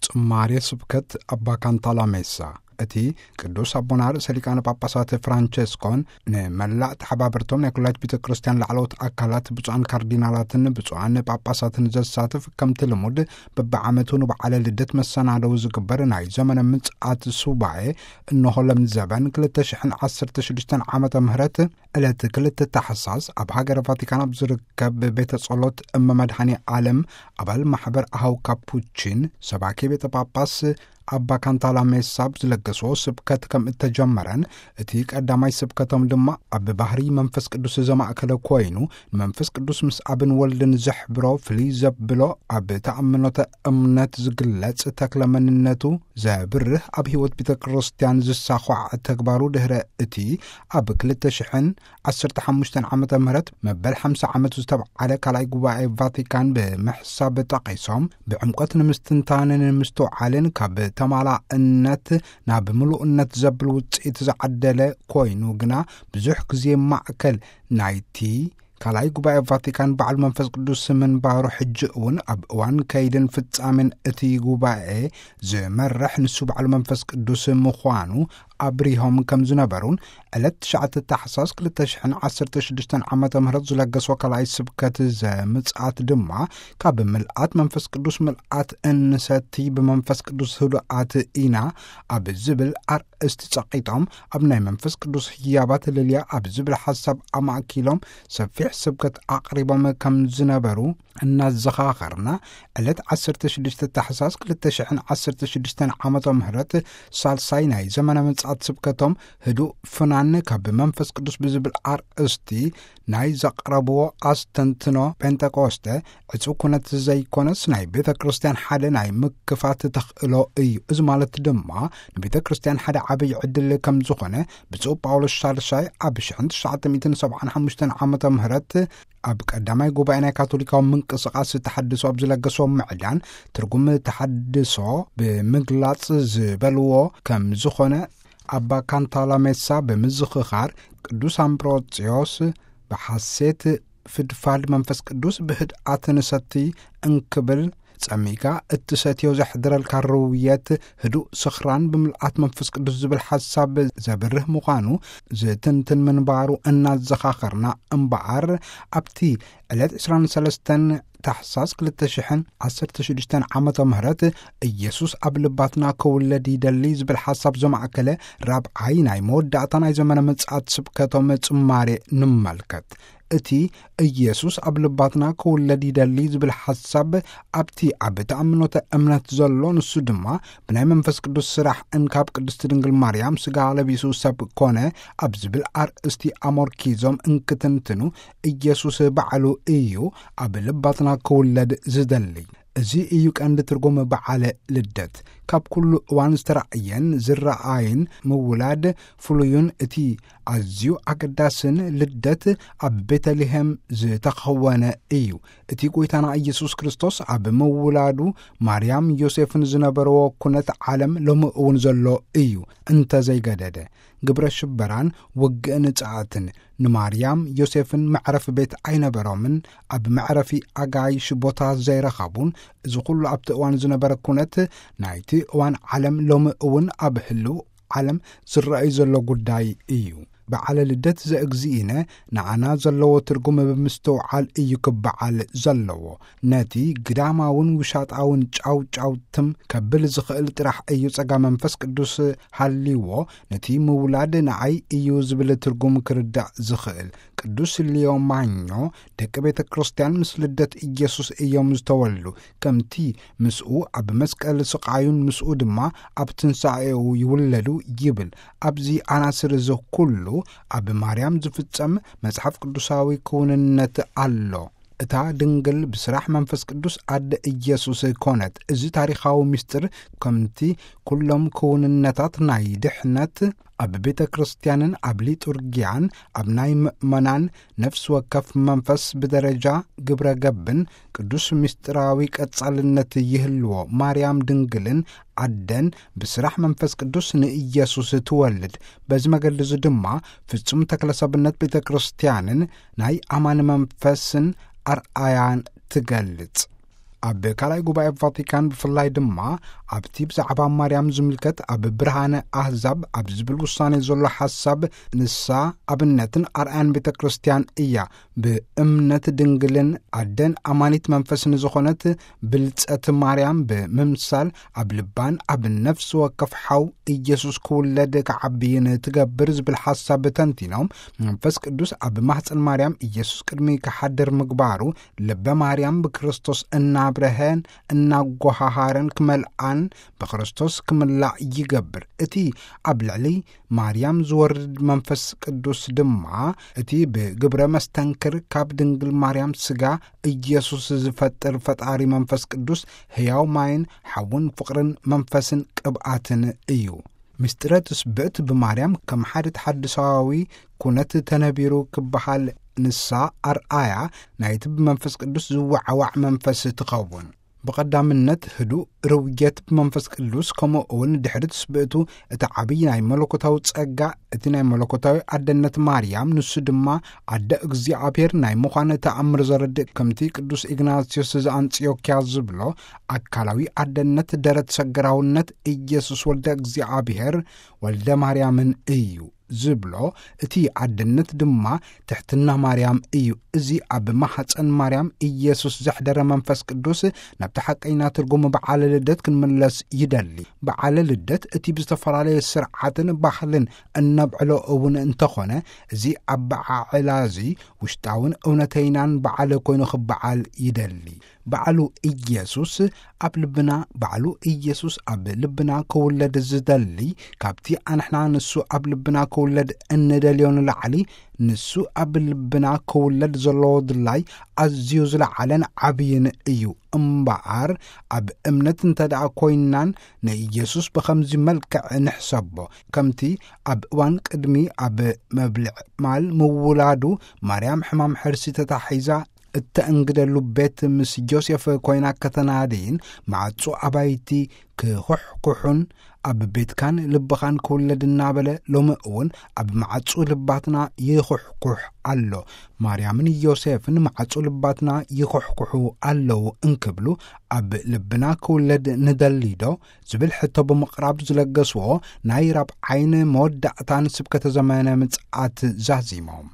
ጽማሬ ስብከት ኣባ ካንታላሜሳ። እቲ ቅዱስ ኣቦና ርእሰ ሊቃነ ጳጳሳት ፍራንቸስኮን ንመላእ ተሓባበርቶም ናይ ኩላይት ቤተ ክርስቲያን ላዕለዎት ኣካላት ብፁዓን ካርዲናላትን ብፁዓን ጳጳሳትን ዘሳትፍ፣ ከምቲ ልሙድ በብዓመቱ ንበዓለ ልደት መሰናደው ዝግበር ናይ ዘመነ ምጽኣት ሱባኤ፣ እንሆ ለምዘበን ክልተ ሽሕን ዓሰርተ ሽዱሽተን ዓመተ ምህረት ዕለት ክልተ ታሕሳስ ኣብ ሃገረ ቫቲካን ኣብ ዝርከብ ቤተ ጸሎት እመ መድኃኔ ዓለም ኣባል ማሕበር ኣሃው ካፑቺን ሰባኪ ቤተ ጳጳስ ኣባ ካንታላሜሳ ኣብ ዝለገስዎ ስብከት ከም እተጀመረን፣ እቲ ቀዳማይ ስብከቶም ድማ ኣብ ባህሪ መንፈስ ቅዱስ ዘማእከለ ኮይኑ፣ ንመንፈስ ቅዱስ ምስ ኣብን ወልድን ዘሕብሮ ፍልይ ዘብሎ ኣብ ተኣምኖተ እምነት ዝግለጽ ተክለ መንነቱ ዘብርህ ኣብ ሕይወት ቤተ ክርስቲያን ዝሳዃዕ ተግባሩ ድሕረ እቲ ኣብ ክልተ ሽሕን ዓሰርተ ሓሙሽተን ዓመተ ምህረት መበል ሓምሳ ዓመቱ ዝተብዓለ ካልኣይ ጉባኤ ቫቲካን ብምሕሳብ ጠቒሶም፣ ብዕምቆት ንምስትንታን ንምስትውዓልን ካብ ተማላእነት ናብ ምሉእነት ዘብል ውጽኢት ዝዓደለ ኮይኑ ግና ብዙሕ ግዜ ማእከል ናይቲ ካልኣይ ጉባኤ ቫቲካን በዓል መንፈስ ቅዱስ ምንባሩ ሕጂ እውን ኣብ እዋን ከይድን ፍጻሜን እቲ ጉባኤ ዝመርሕ ንሱ በዓል መንፈስ ቅዱስ ምዃኑ ኣብሪሆም ከም ዝነበሩን ዕለት ትሽዓተ ታሕሳስ ክልተ ሽሕን ዓሰርተ ሽዱሽተን ዓመተ ምህረት ዝለገስዎ ካልኣይ ስብከት ዘምጽኣት ድማ ካብ ምልኣት መንፈስ ቅዱስ ምልኣት እንሰቲ ብመንፈስ ቅዱስ ህዱኣት ኢና ኣብ ዝብል ኣርእስቲ ጸቒጦም ኣብ ናይ መንፈስ ቅዱስ ህያባት ልልያ ኣብ ዝብል ሓሳብ ኣማእኪሎም ሰፊሕ ስብከት ኣቕሪቦም ከም ዝነበሩ እናዘኻኸርና፣ ዕለት ዓሰርተ ሽዱሽተ ታሕሳስ ክልተ ሽሕን ዓሰርተ ሽዱሽተን ዓመተ ምህረት ሳልሳይ ናይ ዘመነ ምጽኣት ስብከቶም ህዱእ ፍናን ካብ መንፈስ ቅዱስ ብዝብል ኣርእስቲ ናይ ዘቕረብዎ ኣስተንትኖ ጴንጠቆስተ ዕጹው ኩነት ዘይኮነስ ናይ ቤተ ክርስቲያን ሓደ ናይ ምክፋት ተኽእሎ እዩ። እዚ ማለት ድማ ንቤተ ክርስቲያን ሓደ ዓብይ ዕድል ከም ዝኾነ ብፁዕ ጳውሎስ ሻድሻይ ኣብ ሽሕን ትሽዓተ ሚእትን ሰብዓን ሓሙሽተን ዓመተ ምህረት ኣብ ቀዳማይ ጉባኤ ናይ ካቶሊካዊ ምንቅስቓስ ተሓድሶ ኣብ ዝለገሶ ምዕዳን ትርጉም ተሓድሶ ብምግላጽ ዝበልዎ ከም ዝኾነ ኣባ ካንታላሜሳ ብምዝኽኻር፣ ቅዱስ ኣምብሮጽዮስ ብሓሴት ፍድፋድ መንፈስ ቅዱስ ብህድኣት ንሰቲ እንክብል ጸሚካ እትሰትዮ ዘሕድረልካ ርውየት ህዱእ ስኽራን ብምልኣት መንፈስ ቅዱስ ዝብል ሓሳብ ዘብርህ ምዃኑ ዝትንትን ምንባሩ እናዘኻኸርና እምበኣር፣ ኣብቲ ዕለት ዕስራን ሰለስተን ታሕሳስ ክልተ ሽሕን ዓሰርተ ሽዱሽተን ዓመተ ምህረት ኢየሱስ ኣብ ልባትና ክውለድ ይደሊ ዝብል ሓሳብ ዘማእከለ ራብዓይ ናይ መወዳእታ ናይ ዘመነ ምጽኣት ስብከቶም ጽማሬ ንመልከት። እቲ ኢየሱስ ኣብ ልባትና ክውለድ ይደሊ ዝብል ሓሳብ ኣብቲ ኣብ ተኣምኖተ እምነት ዘሎ፣ ንሱ ድማ ብናይ መንፈስ ቅዱስ ስራሕ እንካብ ቅድስቲ ድንግል ማርያም ስጋ ለቢሱ ሰብ ኮነ ኣብ ዝብል ኣርእስቲ ኣሞርኪዞም እንክትንትኑ፣ ኢየሱስ ባዕሉ እዩ ኣብ ልባትና ክውለድ ዝደሊ። እዚ እዩ ቀንዲ ትርጉም በዓለ ልደት። ካብ ኩሉ እዋን ዝተራእየን ዝረኣይን ምውላድ ፍሉዩን እቲ ኣዝዩ ኣገዳስን ልደት ኣብ ቤተልሔም ዝተኸወነ እዩ። እቲ ጐይታና ኢየሱስ ክርስቶስ ኣብ ምውላዱ ማርያም ዮሴፍን ዝነበርዎ ኩነት ዓለም ሎሚ እውን ዘሎ እዩ። እንተዘይገደደ፣ ግብረ ሽበራን ውግእን ጸዓትን ንማርያም ዮሴፍን መዕረፊ ቤት ኣይነበሮምን፣ ኣብ መዕረፊ ኣጋይሽ ቦታ ዘይረኸቡን፣ እዚ ኩሉ ኣብቲ እዋን ዝነበረ ኩነት ናይቲ እዋን ዓለም ሎሚ እውን ኣብ ህልው ዓለም ዝረኣይ ዘሎ ጉዳይ እዩ። በዓለ ልደት ዘእግዚእነ ንዓና ዘለዎ ትርጉም ብምስትውዓል እዩ ክበዓል ዘለዎ። ነቲ ግዳማውን ውሻጣውን ጫው ጫው ትም ከብል ዝኽእል ጥራሕ እዩ ጸጋ መንፈስ ቅዱስ ሃልይዎ ነቲ ምውላድ ንዓይ እዩ ዝብል ትርጉም ክርዳእ ዝኽእል። ቅዱስ ሊዮ ማኞ ደቂ ቤተ ክርስቲያን ምስ ልደት ኢየሱስ እዮም ዝተወልዱ። ከምቲ ምስኡ ኣብ መስቀል ስቓዩን ምስኡ ድማ ኣብ ትንሳኤኡ ይውለዱ ይብል። ኣብዚ ኣናስር እዚ ኩሉ ኣብ ማርያም ዝፍጸም መጽሓፍ ቅዱሳዊ ክውንነት ኣሎ። እታ ድንግል ብስራሕ መንፈስ ቅዱስ ኣደ ኢየሱስ ኮነት። እዚ ታሪኻዊ ምስጢር ከምቲ ኩሎም ክውንነታት ናይ ድሕነት ኣብ ቤተ ክርስቲያንን ኣብ ሊጡርጊያን ኣብ ናይ ምእመናን ነፍሲ ወከፍ መንፈስ ብደረጃ ግብረ ገብን ቅዱስ ምስጢራዊ ቀጻልነት ይህልዎ። ማርያም ድንግልን ኣደን ብስራሕ መንፈስ ቅዱስ ንኢየሱስ ትወልድ። በዚ መገዲ እዚ ድማ ፍጹም ተክለ ሰብነት ቤተ ክርስቲያንን ናይ ኣማን መንፈስን ኣርኣያን ትገልጽ። ኣብ ካልኣይ ጉባኤ ቫቲካን ብፍላይ ድማ ኣብቲ ብዛዕባ ማርያም ዝምልከት ኣብ ብርሃነ ኣህዛብ ኣብ ዝብል ውሳኔ ዘሎ ሓሳብ፣ ንሳ ኣብነትን ኣርኣያን ቤተ ክርስቲያን እያ። ብእምነት ድንግልን ኣደን ኣማኒት መንፈስን ዝኾነት ብልጸት ማርያም ብምምሳል፣ ኣብ ልባን ኣብ ነፍሲ ወከፍ ሓው ኢየሱስ ክውለድ ክዓብይን ትገብር ዝብል ሓሳብ ተንቲኖም፣ መንፈስ ቅዱስ ኣብ ማህፀን ማርያም ኢየሱስ ቅድሚ ክሓድር ምግባሩ፣ ልበ ማርያም ብክርስቶስ እናብረሀን እናጎሃሃረን ክመልኣን ብክርስቶስ ክምላእ ይገብር። እቲ ኣብ ልዕሊ ማርያም ዝወርድ መንፈስ ቅዱስ ድማ፣ እቲ ብግብረ መስተንክር ካብ ድንግል ማርያም ስጋ ኢየሱስ ዝፈጥር ፈጣሪ መንፈስ ቅዱስ፣ ሕያው ማይን ሓውን ፍቕርን መንፈስን ቅብኣትን እዩ። ምስጢረ ትስብእት ብማርያም ከም ሓደ ተሓድሳዊ ኩነት ተነቢሩ ክበሃል፣ ንሳ ኣርኣያ ናይቲ ብመንፈስ ቅዱስ ዝወዓዋዕ መንፈስ ትኸውን። ብቐዳምነት ህዱእ ርውየት ብመንፈስ ቅዱስ፣ ከምኡ እውን ድሕሪ ትስብእቱ እቲ ዓብዪ ናይ መለኮታዊ ጸጋ፣ እቲ ናይ መለኮታዊ ኣደነት ማርያም፣ ንሱ ድማ ኣደ እግዚኣብሔር ናይ ምዃን ተኣምር ዘረድእ፣ ከምቲ ቅዱስ ኢግናስዮስ ዘኣንጽዮክያ ዝብሎ፣ ኣካላዊ ኣደነት ደረት ሰገራውነት ኢየሱስ ወልደ እግዚኣብሔር ወልደ ማርያምን እዩ ዝብሎ፣ እቲ ኣደነት ድማ ትሕትና ማርያም እዩ። እዚ ኣብ ማህፀን ማርያም ኢየሱስ ዘሕደረ መንፈስ ቅዱስ ናብቲ ሓቀይና ትርጉም በዓለ ልደት ክንምለስ ይደሊ። በዓለ ልደት እቲ ብዝተፈላለየ ስርዓትን ባህልን እነብዕሎ እውን እንተኾነ፣ እዚ ኣበዓዕላ እዚ ውሽጣውን እውነተይናን በዓል ኮይኑ ክበዓል ይደሊ። በዓሉ ኢየሱስ ኣብ ልብና፣ በዓሉ ኢየሱስ ኣብ ልብና ክውለድ ዝደሊ፣ ካብቲ ኣንሕና ንሱ ኣብ ልብና ክውለድ እንደልዮ ንላዕሊ፣ ንሱ ኣብ ልብና ክውለድ ዘለዎ ድላይ ኣዝዩ ዝለዓለን ዓብይን እዩ። እምበኣር፣ ኣብ እምነት እንተ ደኣ ኮይንናን ንኢየሱስ ብኸምዚ መልክዕ ንሕሰቦ፣ ከምቲ ኣብ እዋን ቅድሚ ኣብ መብልዕ ማል ምውላዱ ማርያም ሕማም ሕርሲ ተታሒዛ እተእንግደሉ ቤት ምስ ዮሴፍ ኮይና ከተናድይን፣ ማዕጾ ኣባይቲ ክኹሕኩሑን፣ ኣብ ቤትካን ልብኻን ክውለድ እናበለ፣ ሎሚ እውን ኣብ ማዕጾ ልባትና ይኹሕኩሕ ኣሎ። ማርያምን ዮሴፍን ማዕጾ ልባትና ይኹሕኩሑ ኣለዉ እንክብሉ፣ ኣብ ልብና ክውለድ ንደሊዶ? ዝብል ሕቶ ብምቕራብ ዝለገስዎ ናይ ራብዓይን መወዳእታን ስብከተ ዘመነ ምጽኣት ዛዚሞም።